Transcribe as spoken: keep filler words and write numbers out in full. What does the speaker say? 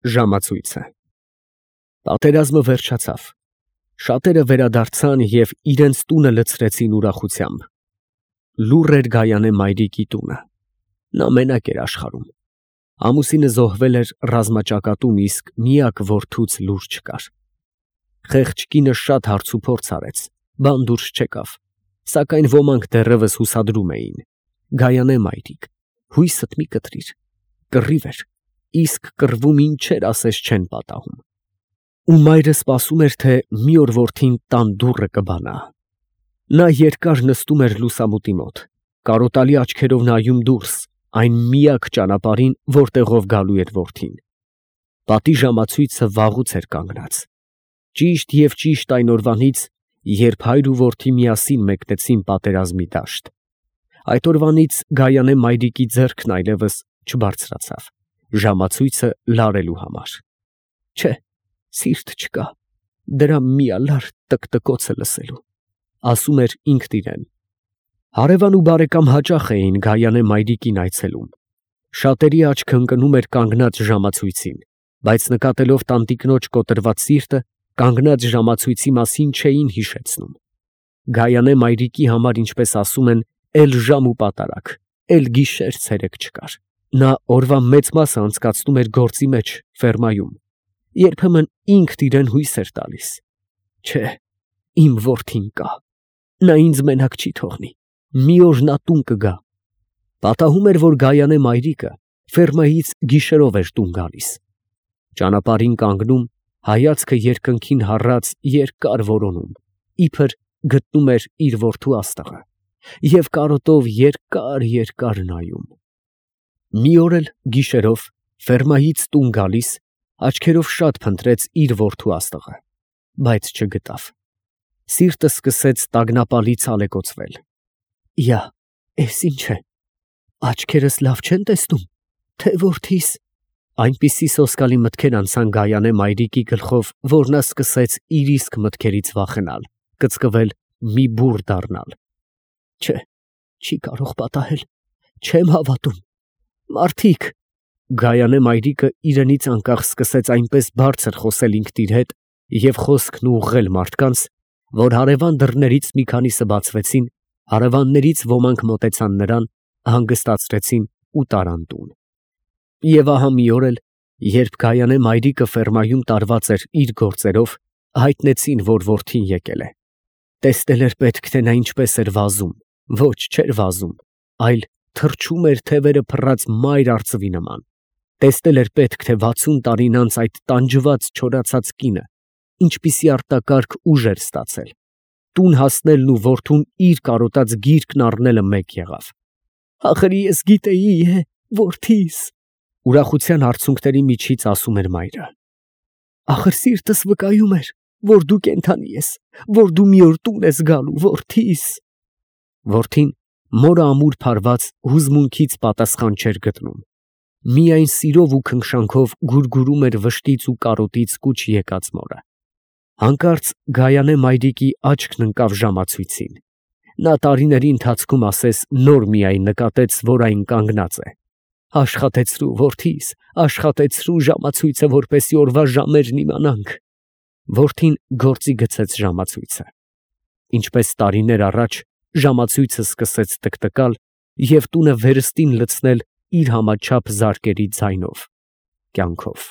Ժամացույցը Պատերազմը վերջացավ։ Շատերը վերադարձան և իրենց տունը լցրեցին ուրախությամբ։ Լուռ էր Գայանե մայրիկի տունը։ Նա մենակ էր աշխարհում։ Ամուսինը զոհվել էր ռազմաճակատում, իսկ միակ որդուց լուր չկար։ Խեղճ կինը շատ հարցուփորձ արեց, բան դուրս չեկավ, սակայն ոմանք դեռևս հուսադրում էին. Գայանե մայրիկ, հույսդ մի կտրիր, կռիվ էր, իսկ կռվում ինչեր ասես չեն պատահում։ Ու մայրը սպասում էր, թե մի օր որդին տան դուռը կբանա։ Նա երկար նստում էր լուսամուտի մոտ, կարոտալի աչքերով նայում դուրս, այն միակ ճանապարհին, որտեղով գալու էր որդին։ Պատի ժամացույցը վաղուց էր կանգնած։ Ճիշտ և ճիշտ այն օրվանից, երբ հայր ու որդի միասին մեկնեցին պատերազմի դաշտ։ Այդ օրվանից Գայանե մայրիկի ձեռքն այլևս չբարձրացավ ժամացույցը լարելու համար։ Չէ, սիրտ չկա դրա միալար տկտկոցը լսելու, ասում էր ինքն իրեն։ Հարևան ու բարեկամ հաճախ էին Գայանե մայրիկին այցելում։ Շատերի աչքը ընկնում էր կանգնած ժամացույցին, բայց նկատելով տանտիկնոջ կոտրված սիրտը, կանգնած ժամացույցի մասին չէին հիշեցնում։ Գայանե մայրիկի համար, ինչպես ասում են, էլ ժամ ու պատարագ, էլ գիշեր ցերեկ չկար։ Նա օրվա մեծ մասը անցկացնում էր գործի մեջ, ֆերմայում։ Երբեմն ինքն իրեն հույս էր տալիս. չէ, իմ որդին կա, նա ինձ մենակ չի թողնի, մի օր նա տուն կգա։ Պատահում էր, որ Գայանե մայրիկը ֆերմայից գիշերով էր տուն գալիս։ Ճանապարհին կանգնում, հայացքը երկնքին հառած երկար որոնում, իբր գտնում էր իր որդու աստղը և կարոտով երկար֊երկար նայում։ Մի օր էլ գիշերով ֆերմայից տուն գալիս, աչքերով շատ փնտրեց իր որդու աստղը, բայց չգտավ։ Սիրտը սկսեց տագնապալի ցալեկոծվել։ Յա, էս ինչ է, աչքերս լավ չեն տեսնում, թե որդիս։ Այնպիսի սոսկալի մտքեր անցան Գայանե մայրիկի գլխով, որ նա սկսեց իր իսկ մտքերից վախենալ, կծկվել, մի բուռ դառնալ։ Չէ, չի կարող պատահել, չեմ հավատում, մարդիկ… Գայանե մայրիկը իրենից անկախ սկսեց այնպես բարձր խոսել ինքն իր հետ և խոսքն ուղղել մարդկանց, որ հարևան դռներից մի քանիսը բացվեցին, հարևաններից ոմանք մոտեցան նրան, հանգստացրեցին ու տարան տուն։ Եվ ահա մի օր էլ, երբ Գայանե մայրիկը ֆերմայում տարված էր իր գործերով, հայտնեցին, որ որդին եկել է։ Տեսնել էր պետք, թե նա ինչպես էր վազում, ոչ չէր վազում, այլ թռչում էր թևերը փռած մայր արծվի նման։ Տեսնել էր պետք, թե վաթսուն տարին անց այդ տանջված չորացած կինը ինչպիսի արտակարգ ուժ էր ստացել։ Տուն հասնելն ու որդուն իր կարոտած գիրկն առնելը մեկ եղավ։ Ախր ես գիտեի, է, որդիս… Ուրախության արցունքների միջից ասում էր մայրը։ Ախր սիրտս վկայում էր, որ դու կենդանի ես, որ դու մի օր տուն ես գալու, որդիս… Որդին մորը ամուր փարված հուզմունքից պատասխան չէր գտնում։ Միայն սիրով ու քնքշանքով գուրգուրում էր վշտից ու կարոտից կուչ եկած մորը։ Հանկարծ Գայանե մայրիկի աչքն ընկավ ժամացույցին։ Նա տարիների ընթացքում ասես նոր միայն նկատեց, որ այն կանգնած է։ Աշխատեցրու, որդիս, աշխատեցրու ժամացույցը, որպեսզի օրվա ժամերն իմանանք։ Որդին գործի գցեց ժամացույցը։ Ինչպես տարիներ առաջ, ժամացույցը սկսեց տկտկալ և տունը վերստին լցնել իր համաչափ զարկերի ձայնով, կյանքով։